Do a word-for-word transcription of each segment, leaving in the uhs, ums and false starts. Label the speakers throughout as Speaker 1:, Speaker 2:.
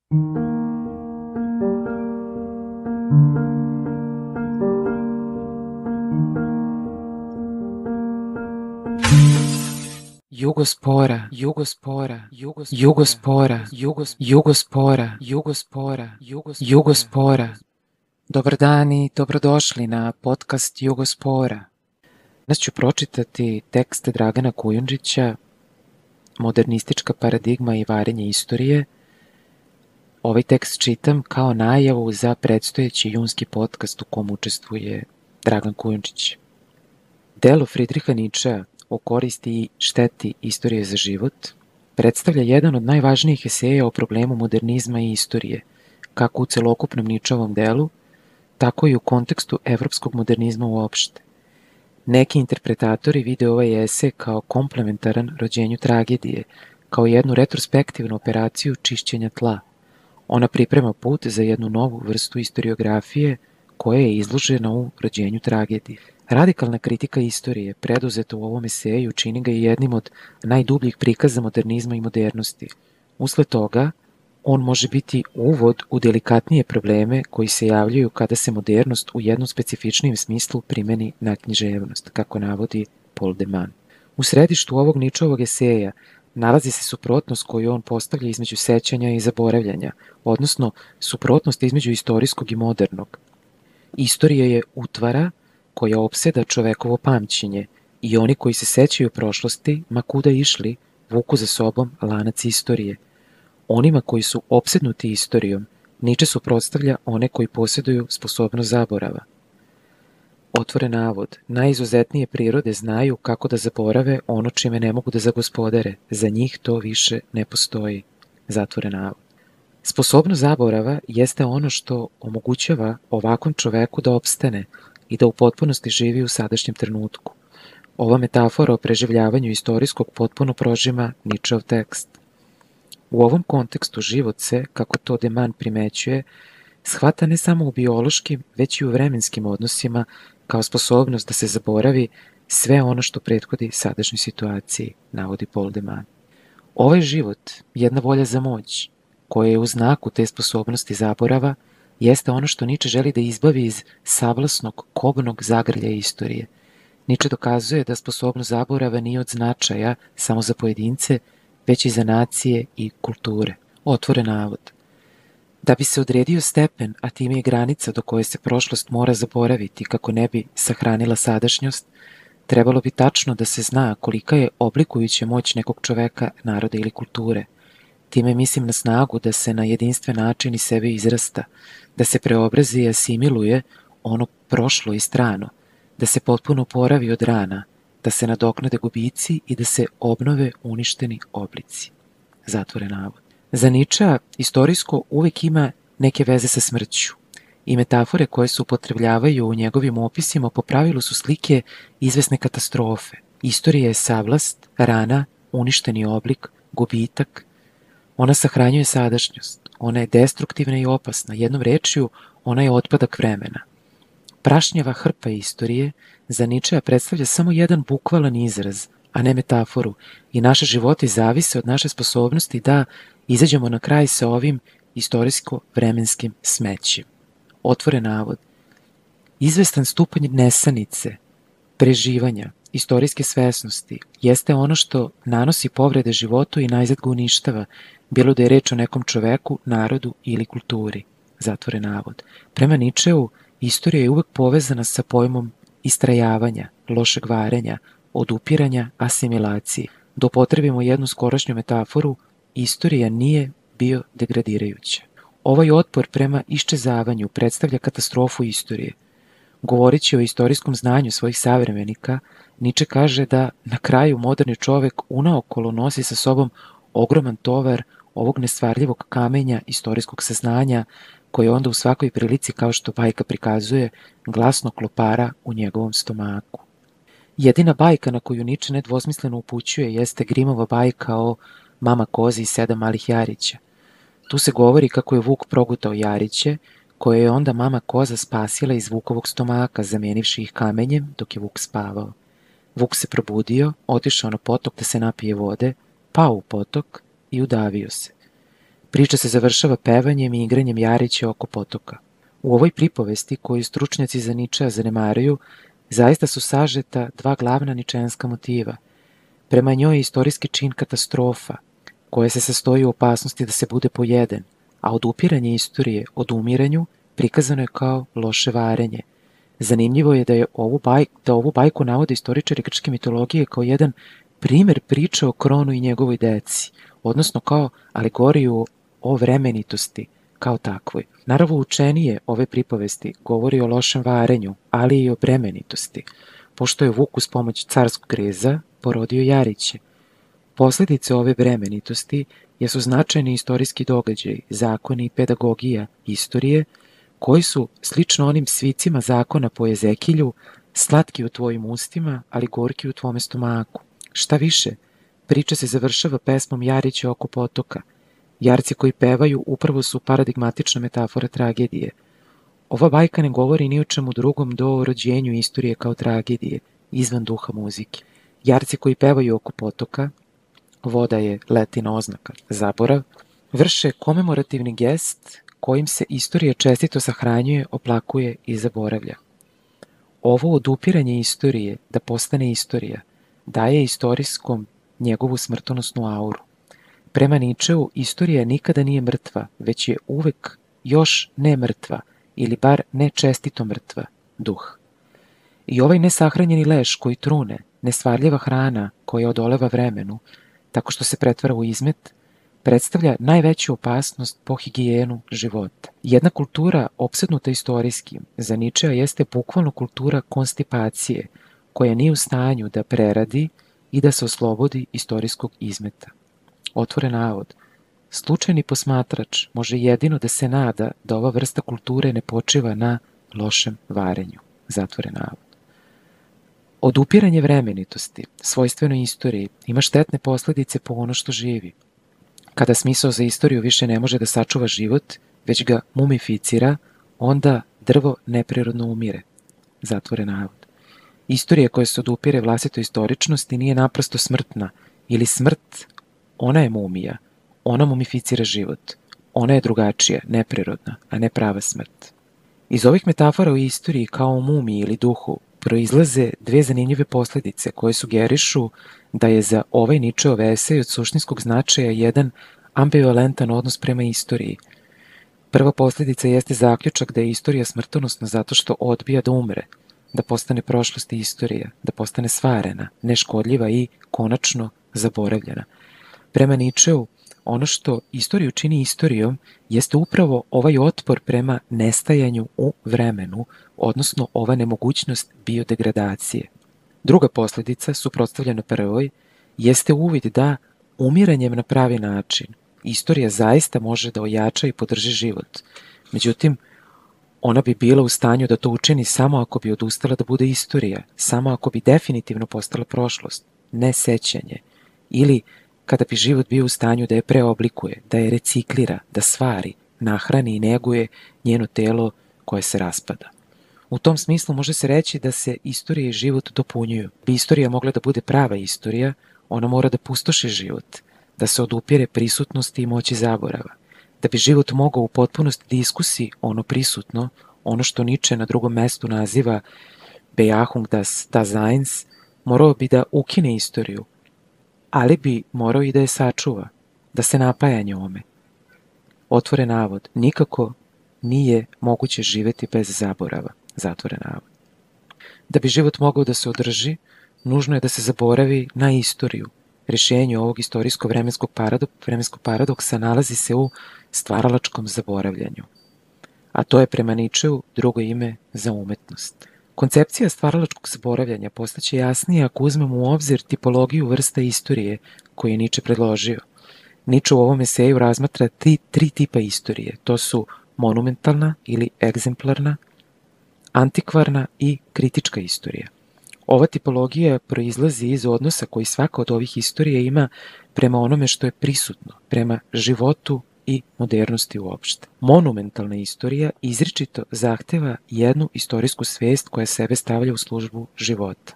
Speaker 1: Jugospora, Jugospora, Jugos, Jugospora, Jugos, Jugospora, Jugospora, Jugos, Jugospora. Dobar dan i dobrodošli na podcast Jugospora. Danas ću pročitati tekst Dragana Kujundžića, Modernistička paradigma i varenje istorije. Ovaj tekst čitam kao najavu za predstojeći junski podcast u kom učestvuje Dragan Kujundžić. Delo Friedricha Nietzschea o koristi i šteti istorije za život predstavlja jedan od najvažnijih eseja o problemu modernizma i istorije, kako u celokupnom Nietzscheovom delu, tako i u kontekstu evropskog modernizma uopšte. Neki interpretatori vide ovaj esej kao komplementaran rođenju tragedije, kao jednu retrospektivnu operaciju čišćenja tla. Ona priprema put za jednu novu vrstu istoriografije koja je izložena u rođenju tragedije. Radikalna kritika istorije, preduzeta u ovom eseju, čini ga i jednim od najdubljih prikaza modernizma i modernosti. Usled toga, on može biti uvod u delikatnije probleme koji se javljaju kada se modernost u jednom specifičnijem smislu primeni na književnost, kako navodi Paul de Man. U središtu ovog Nietzscheovog eseja nalazi se suprotnost koju on postavlja između sećanja i zaboravljanja, odnosno suprotnost između istorijskog i modernog. Istorija je utvara koja opseda čovekovo pamćenje i oni koji se sećaju prošlosti, ma kuda išli, vuku za sobom lanac istorije. Onima koji su opsednuti istorijom, Nietzsche suprotstavlja one koji posjeduju sposobnost zaborava. Otvoren navod, najizuzetnije prirode znaju kako da zaborave ono čime ne mogu da zagospodare, za njih to više ne postoji. Zatvoren navod. Sposobnost zaborava jeste ono što omogućava ovakvom čoveku da opstane i da u potpunosti živi u sadašnjem trenutku. Ova metafora o preživljavanju istorijskog potpuno prožima Nietzscheov tekst. U ovom kontekstu život se, kako to de Man primećuje, shvata ne samo u biološkim, već i u vremenskim odnosima kao sposobnost da se zaboravi sve ono što prethodi sadašnjoj situaciji, navodi Paul de Man. Ovaj život, jedna volja za moć, koja je u znaku te sposobnosti zaborava, jeste ono što Nietzsche želi da izbavi iz savlasnog, kobnog zagrlja istorije. Nietzsche dokazuje da sposobnost zaborava nije od značaja samo za pojedince, već i za nacije i kulture. Otvoren navod. Da bi se odredio stepen, a time i granica do koje se prošlost mora zaboraviti kako ne bi sahranila sadašnjost, trebalo bi tačno da se zna kolika je oblikujuća moć nekog čoveka, naroda ili kulture. Time mislim na snagu da se na jedinstven način iz sebe izrasta, da se preobrazi i asimiluje ono prošlo i strano, da se potpuno oporavi od rana, da se nadoknade gubici i da se obnove uništeni oblici. Zatvoren navod. Za Nietzschea istorijsko uvijek ima neke veze sa smrću i metafore koje se upotrebljavaju u njegovim opisima po pravilu su slike izvesne katastrofe. Istorija je savlast, rana, uništeni oblik, gubitak. Ona sahranjuje sadašnjost, ona je destruktivna i opasna, jednom rečju ona je otpadak vremena. Prašnjava hrpa istorije za Nietzschea predstavlja samo jedan bukvalan izraz, a ne metaforu, i naše životi zavise od naše sposobnosti da izađemo na kraj sa ovim istorijsko-vremenskim smećem. Otvoren navod. Izvestan stupanj nesanice, preživanja, istorijske svesnosti jeste ono što nanosi povrede životu i najzad ga uništava, bilo da je reč o nekom čoveku, narodu ili kulturi. Zatvoren navod. Prema Nietzscheu, istorija je uvek povezana sa pojmom istrajavanja, lošeg varenja, odupiranja, asimilacije. Da upotrebimo jednu skorašnju metaforu, istorija nije biodegradirajuća. Ovaj otpor prema iščezavanju predstavlja katastrofu istorije. Govoreći o istorijskom znanju svojih savremenika, Nietzsche kaže da na kraju moderni čovek unaokolo nosi sa sobom ogroman tovar ovog nestvarljivog kamenja istorijskog saznanja koje onda u svakoj prilici, kao što bajka prikazuje, glasno klopara u njegovom stomaku. Jedina bajka na koju Nietzsche nedvosmisleno upućuje jeste Grimova bajka o Mama kozi i sedam malih jarića. Tu se govori kako je Vuk progutao jariće, koje je onda mama koza spasila iz Vukovog stomaka, zamenivši ih kamenjem dok je Vuk spavao. Vuk se probudio, otišao na potok da se napije vode, pao u potok i udavio se. Priča se završava pevanjem i igranjem Jarića oko potoka. U ovoj pripovesti, koju stručnjaci za Ničea zanemaruju, zaista su sažeta dva glavna ničeanska motiva. Prema njoj je istorijski čin katastrofa, koja se sastoji u opasnosti da se bude pojeden, a odupiranje istorije od umiranju prikazano je kao loše varenje. Zanimljivo je da je ovu bajku, da ovu bajku navode istoričari grčke mitologije kao jedan primer priče o Kronu i njegovoj deci, odnosno kao alegoriju o vremenitosti kao takvoj. Naravno, učenije ove pripovesti govori o lošem varenju, ali i o bremenitosti, pošto je Vuk uz pomoć carskog reza porodio Jariće. Posledice ove bremenitosti jesu značajni istorijski događaj, zakoni i pedagogija istorije, koji su, slično onim svicima zakona po Ezekilju, slatki u tvojim ustima, ali gorki u tvome stomaku. Šta više, priča se završava pesmom Jarića oko potoka. Jarci koji pevaju upravo su paradigmatična metafora tragedije. Ova bajka ne govori ni o čemu drugom do o rođenju istorije kao tragedije, izvan duha muzike. Jarci koji pevaju oko potoka, voda je letina oznaka, zaborav, vrše komemorativni gest kojim se istorija čestito sahranjuje, oplakuje i zaboravlja. Ovo odupiranje istorije da postane istorija daje istorijskom njegovu smrtonosnu auru. Prema Ničeu, istorija nikada nije mrtva, već je uvek još ne mrtva, ili bar ne čestito mrtva, duh. I ovaj nesahranjeni leš koji trune, nesvarljiva hrana koja odoleva vremenu, tako što se pretvara u izmet, predstavlja najveću opasnost po higijenu života. Jedna kultura opsednuta istorijskim za Ničea jeste bukvalno kultura konstipacije, koja nije u stanju da preradi i da se oslobodi istorijskog izmeta. Otvoren navod. Slučajni posmatrač može jedino da se nada da ova vrsta kulture ne počiva na lošem varenju. Zatvoren navod. Odupiranje vremenitosti, svojstveno istoriji, ima štetne posledice po ono što živi. Kada smisao za istoriju više ne može da sačuva život, već ga mumificira, onda drvo neprirodno umire. Zatvoren navod. Istorija koja se odupire vlastitoj istoričnosti nije naprosto smrtna, ili smrt, ona je mumija, ona mumificira život, ona je drugačija, neprirodna, a ne prava smrt. Iz ovih metafora o istoriji kao o mumiji ili duhu proizlaze dve zanimljive posledice koje sugerišu da je za ovaj Ničeov esej od suštinskog značaja jedan ambivalentan odnos prema istoriji. Prva posledica jeste zaključak da je istorija smrtonosna zato što odbija da umre, da postane prošlost i istorija, da postane svarena, neškodljiva i, konačno, zaboravljena. Prema Ničeu, ono što istoriju čini istorijom jeste upravo ovaj otpor prema nestajanju u vremenu, odnosno ova nemogućnost biodegradacije. Druga posledica, suprotstavljena prvoj, jeste uvid da, umiranjem na pravi način, istorija zaista može da ojača i podrži život. Međutim, ona bi bila u stanju da to učini samo ako bi odustala da bude istorija, samo ako bi definitivno postala prošlost, ne sećanje, ili kada bi život bio u stanju da je preoblikuje, da je reciklira, da stvari, nahrani i neguje njeno telo koje se raspada. U tom smislu može se reći da se istorija i život dopunjuju. Bi istorija mogla da bude prava istorija, ona mora da pustoši život, da se odupire prisutnosti i moći zaborava. Da bi život mogao u potpunosti da iskusi ono prisutno, ono što Niče na drugom mestu naziva Bejahung das Daseins, morao bi da ukine istoriju, ali bi morao i da je sačuva, da se napaja njome. Otvoren navod, nikako nije moguće živeti bez zaborava. Zatvoren navod. Da bi život mogao da se održi, nužno je da se zaboravi na istoriju. Rješenje ovog istorijsko-vremenskog paradok, vremenskog paradoksa nalazi se u stvaralačkom zaboravljanju. A to je prema Ničeu drugo ime za umetnost. Koncepcija stvaralačkog zaboravljanja postaće jasnije ako uzmemo u obzir tipologiju vrsta istorije koju je Niče predložio. Niče u ovom eseju razmatra tri, tri tipa istorije. To su monumentalna ili egzemplarna, antikvarna i kritička istorija. Ova tipologija proizlazi iz odnosa koji svaka od ovih istorija ima prema onome što je prisutno, prema životu i modernosti uopšte. Monumentalna istorija izričito zahteva jednu istorijsku svest koja sebe stavlja u službu života.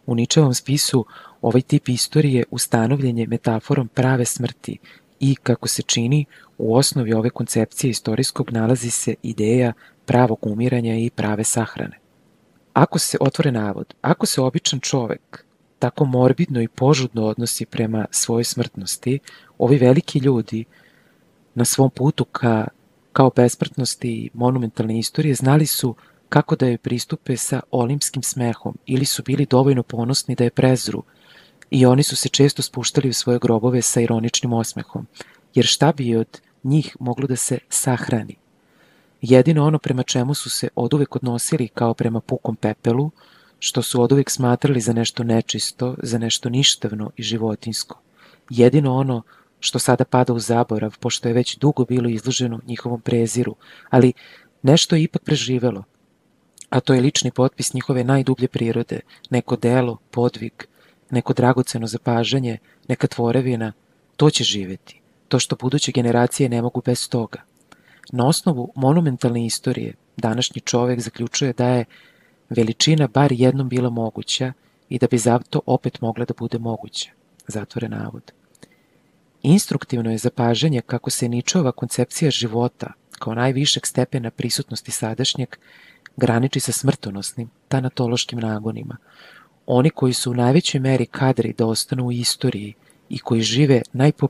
Speaker 1: U Ničevom spisu ovaj tip istorije ustanovljen je metaforom prave smrti i, kako se čini, u osnovi ove koncepcije istorijskog nalazi se ideja pravog umiranja i prave sahrane. Ako se, otvore navod, ako se običan čovek tako morbidno i požudno odnosi prema svojoj smrtnosti, ovi veliki ljudi na svom putu ka, kao besmrtnosti i monumentalne istorije znali su kako da joj pristupe sa olimpskim smehom ili su bili dovoljno ponosni da je prezru i oni su se često spuštali u svoje grobove sa ironičnim osmehom, jer šta bi od njih moglo da se sahrani? Jedino ono prema čemu su se oduvek odnosili kao prema pukom pepelu, što su oduvek smatrali za nešto nečisto, za nešto ništavno i životinjsko. Jedino ono što sada pada u zaborav, pošto je već dugo bilo izloženo njihovom preziru, ali nešto je ipak preživelo, a to je lični potpis njihove najdublje prirode, neko delo, podvig, neko dragoceno zapažanje, neka tvorevina, to će živeti, to što buduće generacije ne mogu bez toga. Na osnovu monumentalne istorije, današnji čovek zaključuje da je veličina bar jednom bila moguća i da bi zato opet mogla da bude moguća. Zatvore navod. Instruktivno je zapažanje kako se Ničova koncepcija života, kao najvišeg stepena prisutnosti sadašnjeg, graniči sa smrtonosnim, tanatološkim nagonima. Oni koji su u najvećoj meri kadri da ostanu u istoriji i koji žive najpo,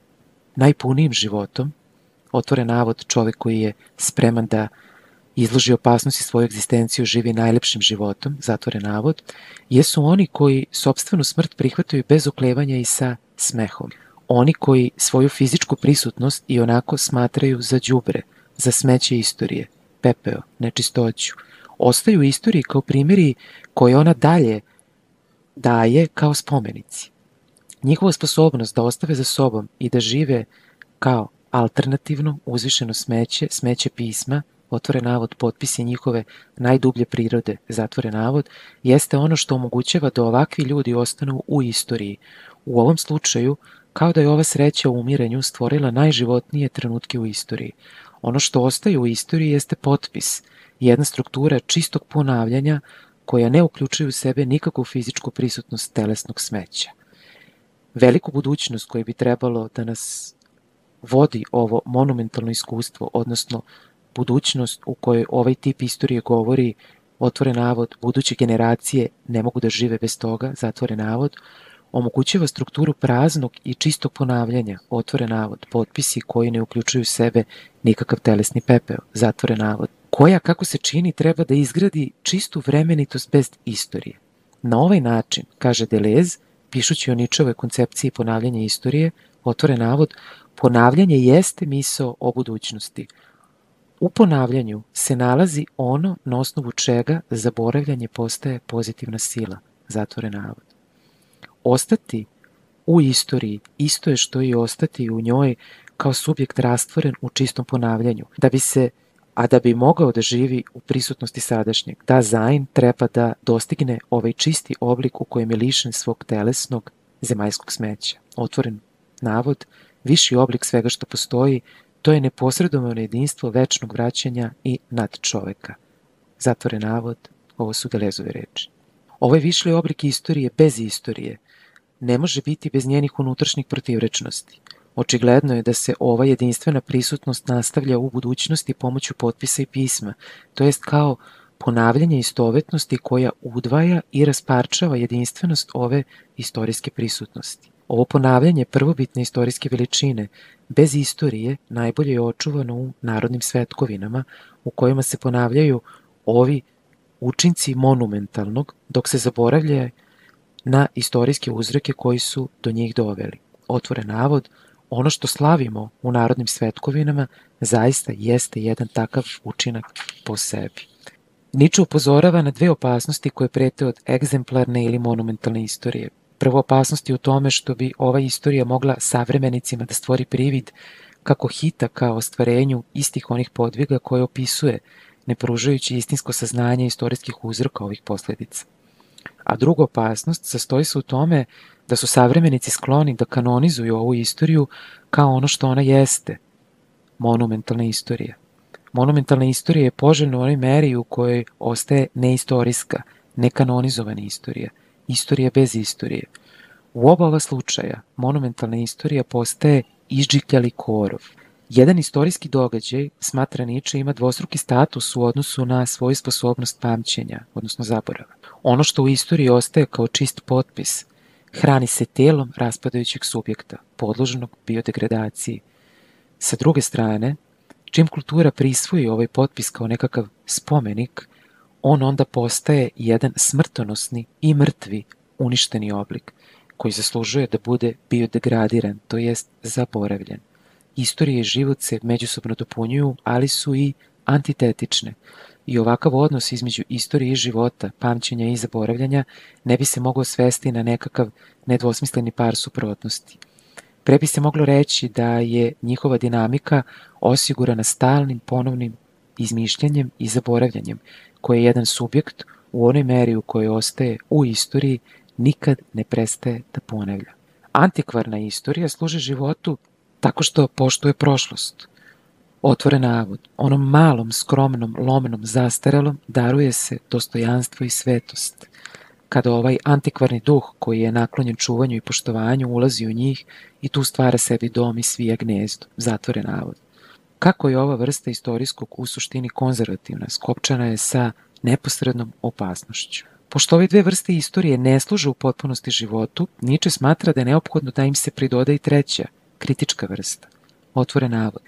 Speaker 1: najpunijim životom, otvore navod, čovek koji je spreman da izloži opasnosti svoju egzistenciju, živi najlepšim životom, zatvore navod, jesu oni koji sopstvenu smrt prihvataju bez oklevanja i sa smehom. Oni koji svoju fizičku prisutnost i onako smatraju za đubre, za smeće istorije, pepeo, nečistoću, ostaju u istoriji kao primjeri koje ona dalje daje kao spomenici. Njihova sposobnost da ostave za sobom i da žive kao alternativno, uzvišeno smeće, smeće pisma, otvore navod, potpisi njihove najdublje prirode, zatvore navod, jeste ono što omogućava da ovakvi ljudi ostanu u istoriji. U ovom slučaju, kao da je ova sreća u umiranju stvorila najživotnije trenutke u istoriji. Ono što ostaje u istoriji jeste potpis, jedna struktura čistog ponavljanja koja ne uključuje u sebe nikakvu fizičku prisutnost telesnog smeća. Veliku budućnost koju bi trebalo da nas vodi ovo monumentalno iskustvo, odnosno budućnost u kojoj ovaj tip istorije govori, otvore navod, buduće generacije ne mogu da žive bez toga, zatvore navod, omogućava strukturu praznog i čistog ponavljanja, otvore navod, potpisi koji ne uključuju u sebe nikakav telesni pepeo, zatvore navod, koja, kako se čini, treba da izgradi čistu vremenitost bez istorije. Na ovaj način, kaže Deleuze, pišući o Ničovoj koncepciji ponavljanja istorije, otvore navod, ponavljanje jeste misao o budućnosti. U ponavljanju se nalazi ono na osnovu čega zaboravljanje postaje pozitivna sila, zatvore navod. Ostati u istoriji isto je što i ostati u njoj kao subjekt rastvoren u čistom ponavljanju, da bi se, a da bi mogao da živi u prisutnosti sadašnjeg, da Zain treba da dostigne ovaj čisti oblik u kojem je lišen svog telesnog zemaljskog smeća. Otvoren navod, viši oblik svega što postoji, to je neposredovano jedinstvo večnog vraćanja i nad čoveka. Zatvore navod, ovo su Deleuzeove reči. Ovaj višli oblik istorije bez istorije ne može biti bez njenih unutrašnjih protivrečnosti. Očigledno je da se ova jedinstvena prisutnost nastavlja u budućnosti pomoću potpisa i pisma, to jest kao ponavljanje istovetnosti koja udvaja i rasparčava jedinstvenost ove istorijske prisutnosti. Ovo ponavljanje prvobitne istorijske veličine bez istorije najbolje je očuvano u narodnim svetkovinama u kojima se ponavljaju ovi učinci monumentalnog, dok se zaboravlja na istorijske uzroke koji su do njih doveli. Otvore navod, ono što slavimo u narodnim svetkovinama zaista jeste jedan takav učinak po sebi. Niče upozorava na dve opasnosti koje prete od egzemplarne ili monumentalne istorije. Prva opasnost je u tome što bi ova istorija mogla savremenicima da stvori privid kako hita kao ostvarenju istih onih podviga koje opisuje, ne pružajući istinsko saznanje istorijskih uzroka ovih posledica. A druga opasnost sastoji se u tome da su savremenici skloni da kanonizuju ovu istoriju kao ono što ona jeste, monumentalna istorija. Monumentalna istorija je poželjna u onoj meri u kojoj ostaje neistorijska, nekanonizovana istorija, istorija bez istorije. U oba ova slučaja monumentalna istorija postaje izdžikljali korov. Jedan istorijski događaj, smatra Nietzsche, ima dvostruki status u odnosu na svoju sposobnost pamćenja, odnosno zaborava. Ono što u istoriji ostaje kao čist potpis, hrani se telom raspadajućeg subjekta, podloženog biodegradaciji. Sa druge strane, čim kultura prisvoji ovaj potpis kao nekakav spomenik, on onda postaje jedan smrtonosni i mrtvi uništeni oblik, koji zaslužuje da bude biodegradiran, to jest zaboravljen. Istorija i život se međusobno dopunjuju, ali su i antitetične. I ovakav odnos između istorije i života, pamćenja i zaboravljanja ne bi se mogao svesti na nekakav nedvosmisleni par suprotnosti. Pre bi se moglo reći da je njihova dinamika osigurana stalnim ponovnim izmišljanjem i zaboravljanjem, koje jedan subjekt u onoj meri u kojoj ostaje u istoriji nikad ne prestaje da ponavlja. Antikvarna istorija služi životu tako što poštuje prošlost. Otvoren navod, onom malom, skromnom, lomnom, zastarelom daruje se dostojanstvo i svetost. Kada ovaj antikvarni duh, koji je naklonjen čuvanju i poštovanju, ulazi u njih i tu stvara sebi dom i svija gnezdo, zatvoren navod. Kako je ova vrsta istorijskog u suštini konzervativna, skopčana je sa neposrednom opasnošću. Pošto ove dve vrste istorije ne služe u potpunosti životu, Nietzsche smatra da je neophodno da im se pridoda i treća, kritička vrsta, otvoren navod.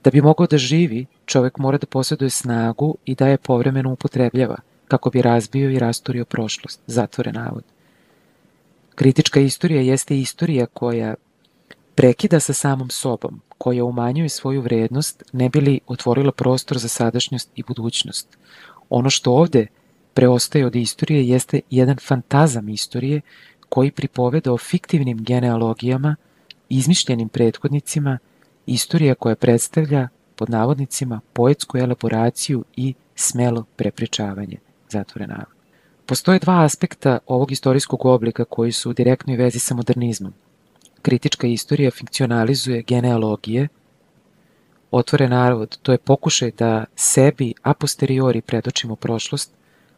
Speaker 1: Da bi mogao da živi, čovek mora da posjeduje snagu i da je povremeno upotrebljava, kako bi razbio i rasturio prošlost, zatvoren navod. Kritička istorija jeste istorija koja prekida sa samom sobom, koja umanjuje svoju vrednost, ne bi li otvorila prostor za sadašnjost i budućnost. Ono što ovde preostaje od istorije jeste jedan fantazam istorije koji pripoveda o fiktivnim genealogijama, izmišljenim prethodnicima, istorija koja predstavlja, pod navodnicima, poetsku elaboraciju i smelo prepričavanje, zatvoren navod. Postoje dva aspekta ovog istorijskog oblika koji su u direktnoj vezi sa modernizmom. Kritička istorija fikcionalizuje genealogije, otvoren navod, to je pokušaj da sebi a posteriori predočimo prošlost,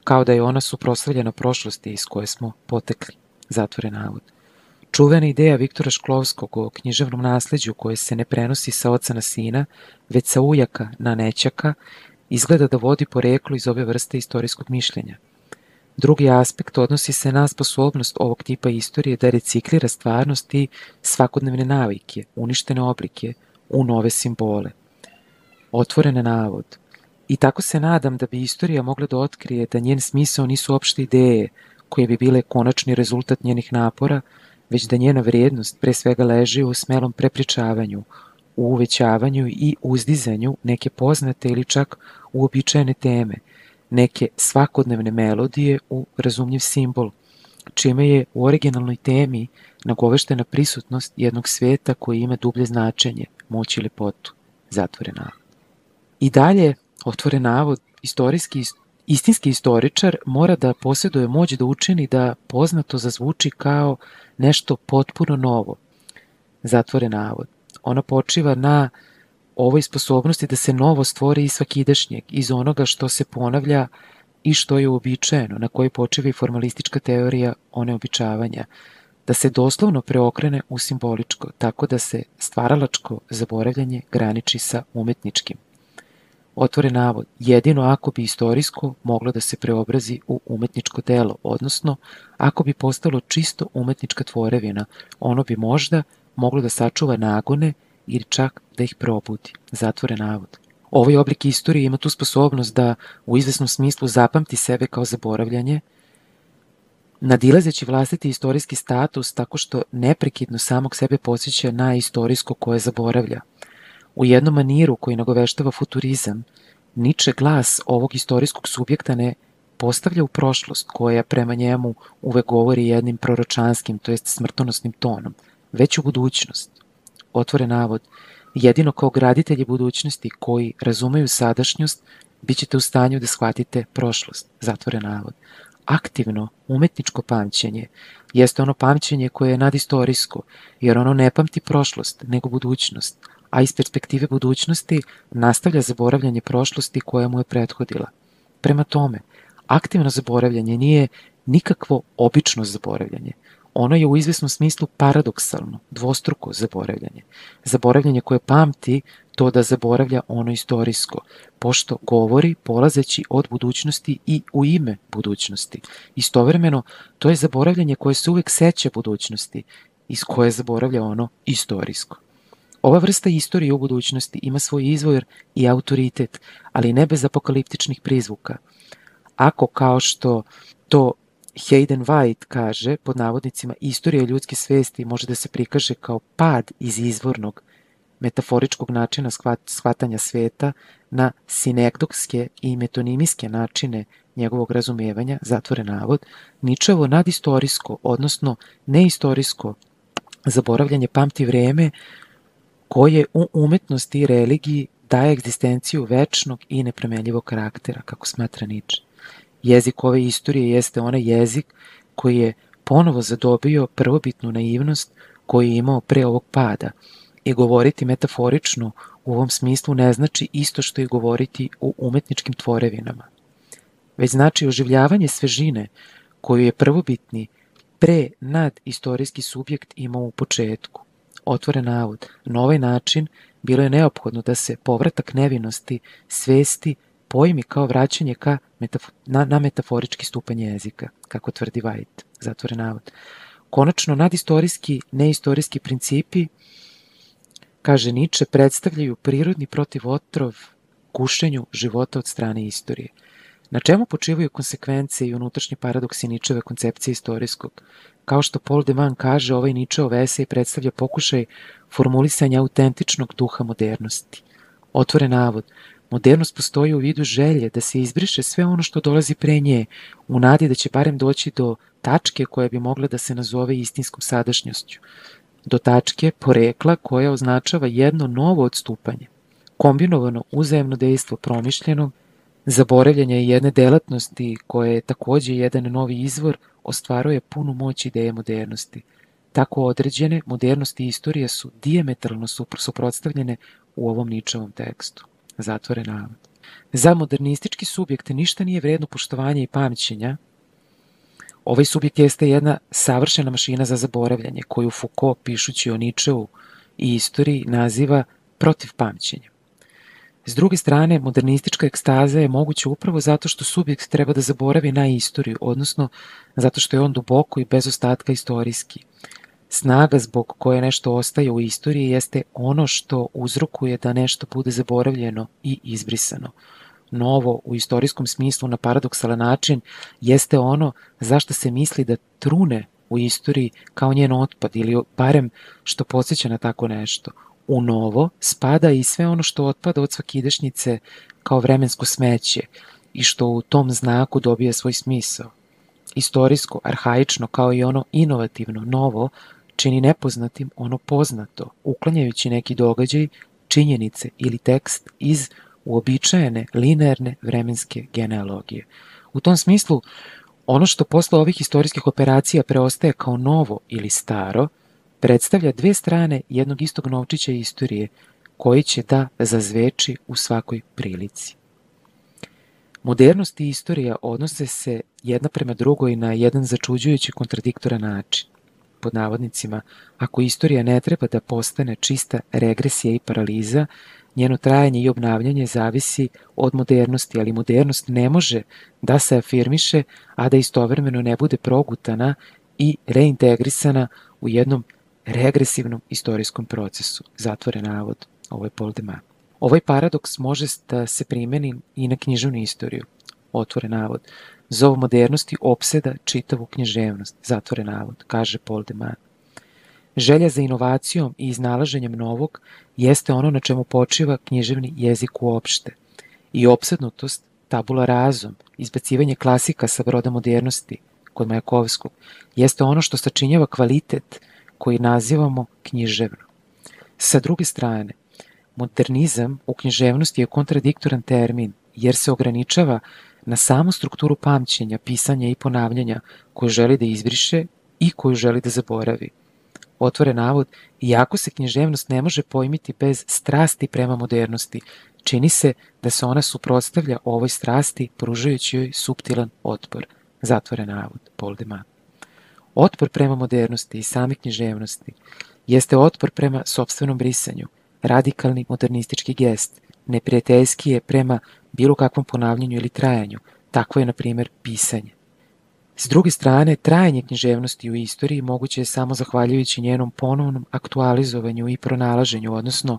Speaker 1: kao da je ona suprotstavljena prošlosti iz koje smo potekli, zatvoren navod. Čuvena ideja Viktora Šklovskog o književnom nasleđu koje se ne prenosi sa oca na sina, već sa ujaka na nećaka, izgleda da vodi poreklo iz ove vrste istorijskog mišljenja. Drugi aspekt odnosi se na sposobnost ovog tipa istorije da reciklira stvarnost i svakodnevne navike, uništene oblike, u nove simbole. Otvoren navod. I tako se nadam da bi istorija mogla da otkrije da njen smisao nisu opšte ideje koje bi bile konačni rezultat njenih napora, već da njena vrijednost pre svega leži u smelom prepričavanju, u uvećavanju i uzdizanju neke poznate ili čak uobičajene teme, neke svakodnevne melodije u razumljiv simbol, čime je u originalnoj temi nagoveštena prisutnost jednog sveta koji ima dublje značenje, moć i lepotu, zatvoren navod. I dalje, otvoren navod, istorijski, istinski istoričar mora da posjeduje moć da učini da poznato zazvuči kao nešto potpuno novo, zatvoren navod. Ona počiva na ovoj sposobnosti da se novo stvori iz svakidašnjeg, iz onoga što se ponavlja i što je uobičajeno, na kojoj počiva i formalistička teorija oneobičavanja, da se doslovno preokrene u simboličko, tako da se stvaralačko zaboravljanje graniči sa umetničkim. Otvoren navod, jedino ako bi istorijsko moglo da se preobrazi u umetničko delo, odnosno ako bi postalo čisto umetnička tvorevina, ono bi možda moglo da sačuva nagone ili čak da ih probudi, zatvoren navod. Ovaj oblik istorije ima tu sposobnost da u izvesnom smislu zapamti sebe kao zaboravljanje, nadilazeći vlastiti istorijski status tako što neprekidno samog sebe podsjeća na istorijsko koje zaboravlja. U jednom maniru koji nagoveštava futurizam, Nietzsche glas ovog istorijskog subjekta ne postavlja u prošlost koja prema njemu uvek govori jednim proročanskim, to jest smrtonosnim tonom, već u budućnost. Otvoren navod, jedino kao graditelji budućnosti koji razumeju sadašnjost, bit ćete u stanju da shvatite prošlost, zatvoren navod. Aktivno, umetničko pamćenje jeste ono pamćenje koje je nadistorijsko, jer ono ne pamti prošlost, nego budućnost, a iz perspektive budućnosti nastavlja zaboravljanje prošlosti koja mu je prethodila. Prema tome, aktivno zaboravljanje nije nikakvo obično zaboravljanje. Ono je u izvesnom smislu paradoksalno, dvostruko zaboravljanje. Zaboravljanje koje pamti to da zaboravlja ono istorijsko, pošto govori polazeći od budućnosti i u ime budućnosti. Istovremeno, to je zaboravljanje koje se uvek seća budućnosti, iz koje zaboravlja ono istorijsko. Ova vrsta istorije u budućnosti ima svoj izvor i autoritet, ali ne bez apokaliptičnih prizvuka. Ako, kao što to Hayden White kaže, pod navodnicima, istorija ljudske svesti može da se prikaže kao pad iz izvornog metaforičkog načina shvatanja sveta na sinekdokske i metonimijske načine njegovog razumevanja, zatvore navod, Ničevo nadistorijsko, odnosno neistorijsko zaboravljanje pamti vreme koje u umetnosti i religiji daje egzistenciju večnog i nepromenljivog karaktera, kako smatra Niče. Jezik ove istorije jeste onaj jezik koji je ponovo zadobio prvobitnu naivnost koju je imao pre ovog pada i govoriti metaforično u ovom smislu ne znači isto što i govoriti u umetničkim tvorevinama, već znači oživljavanje svežine koju je prvobitni pre nad istorijski subjekt imao u početku. Otvoren navod, na ovaj način bilo je neophodno da se povratak nevinosti svesti pojmi kao vraćanje ka metafo na, na metaforički stupanj jezika, kako tvrdi White, zatvoren navod. Konačno, nadistorijski, neistorijski principi, kaže Niče, predstavljaju prirodni protivotrov gušenju života od strane istorije. Na čemu počivaju konsekvence i unutrašnji paradoksi Ničeve koncepcije istorijskog? Kao što Paul de Man kaže, ovaj Ničeov esej predstavlja pokušaj formulisanja autentičnog duha modernosti. Otvoren navod, modernost postoji u vidu želje da se izbriše sve ono što dolazi pre nje, u nadi da će barem doći do tačke koja bi mogla da se nazove istinskom sadašnjošću, do tačke porekla koja označava jedno novo odstupanje, kombinovano uzajemno dejstvo promišljenog, zaboravljanja jedne delatnosti koja je takođe jedan novi izvor, ostvaruje punu moć ideje modernosti. Tako određene, modernosti i istorija su dijametralno suprotstavljene u ovom Ničevom tekstu. Zatvoren navod. Za modernistički subjekt ništa nije vredno poštovanja i pamćenja. Ovaj subjekt jeste jedna savršena mašina za zaboravljanje, koju Foucault, pišući o Ničeu i istoriji, naziva protiv pamćenja. S druge strane, modernistička ekstaza je moguća upravo zato što subjekt treba da zaboravi na istoriju, odnosno zato što je on duboko i bez ostatka istorijski. Snaga zbog koje nešto ostaje u istoriji jeste ono što uzrokuje da nešto bude zaboravljeno i izbrisano. Novo, u istorijskom smislu na paradoksalan način, jeste ono zašto se misli da trune u istoriji kao njen otpad ili barem što podsjeća na tako nešto. U novo spada i sve ono što otpada od svakidašnjice kao vremensko smeće i što u tom znaku dobija svoj smisao. Istorijsko, arhaično kao i ono inovativno, novo, čini nepoznatim ono poznato, uklanjajući neki događaj, činjenice ili tekst iz uobičajene linearne vremenske genealogije. U tom smislu, ono što posle ovih istorijskih operacija preostaje kao novo ili staro, predstavlja dve strane jednog istog novčića istorije, koji će da zazveči u svakoj prilici. Modernost i istorija odnose se jedna prema drugoj na jedan začuđujući kontradiktoran način. Pod navodnicima, ako istorija ne treba da postane čista regresija i paraliza, njeno trajanje i obnavljanje zavisi od modernosti, ali modernost ne može da se afirmiše, a da istovremeno ne bude progutana i reintegrisana u jednom regresivnom istorijskom procesu. Zatvoren navod, ovo je Paul de Man. Ovaj paradoks može da se primeni i na književnu istoriju. Otvoren navod. Zov modernosti opseda čitavu književnost. Zatvoren navod, kaže Paul de Man. Želja za inovacijom i iznalaženjem novog jeste ono na čemu počiva književni jezik uopšte. I opsednutost, tabula razum, izbacivanje klasika sa broda modernosti kod Majakovskog, jeste ono što sačinjava kvalitet koji nazivamo književno. Sa druge strane, modernizam u književnosti je kontradiktoran termin, jer se ograničava na samu strukturu pamćenja, pisanja i ponavljanja koju želi da izbriše i koju želi da zaboravi. Otvoren navod, iako se književnost ne može pojmiti bez strasti prema modernosti, čini se da se ona suprotstavlja ovoj strasti, pružajući joj suptilan otpor. Zatvoren navod, Paul de Man. Otpor prema modernosti i same književnosti jeste otpor prema sopstvenom brisanju, radikalni modernistički gest, neprijateljski je prema bilo kakvom ponavljanju ili trajanju, takvo je, na primjer, pisanje. S druge strane, trajanje književnosti u istoriji moguće je samo zahvaljujući njenom ponovnom aktualizovanju i pronalaženju, odnosno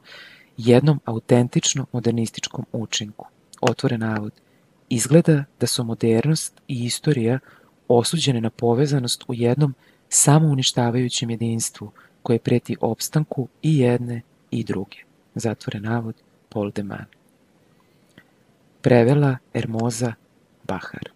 Speaker 1: jednom autentično modernističkom učinku. Otvore navod. Izgleda da su modernost i istorija osuđene na povezanost u jednom samouništavajućem jedinstvu koje preti opstanku i jedne i druge. Zatvore navod, Paul de Man. Prevela Ermoza Bahar.